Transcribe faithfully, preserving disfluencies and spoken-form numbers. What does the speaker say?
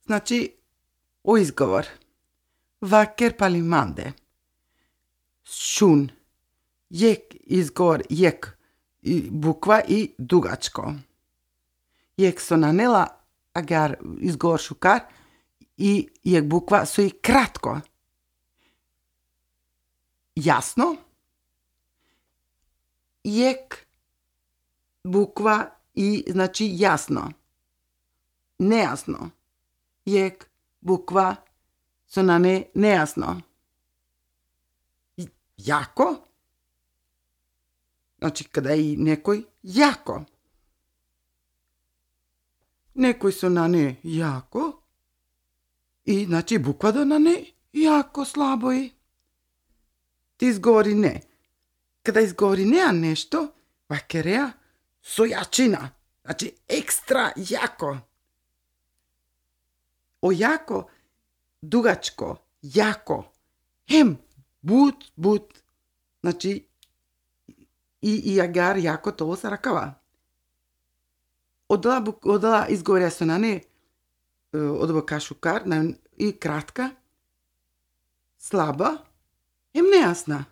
Znači, u izgovor. Vacker palimande. Šun. Jek izgovor, jek i bukva i dugačko. Jek sonanela, agar izgovor šukar i jek bukva su i kratko. Jasno. Jek bukva i znači jasno. Nejasno. Jek bukva sonane nejasno. Jako. Znači kada je nekoj jako. Nekoj sonane jako. I znači bukva do na ne jako slabo i. Ti izgovori ne. Kada izgovori nea nešto, vakerea su jačina. Znači ekstra jako. O jako, dugačko, jako. Hem, but, but. Znači i, i agar jako to sa rakava. Odala, odala izgovorja su na ne od boka šukar i kratka, slaba, hem nejasna.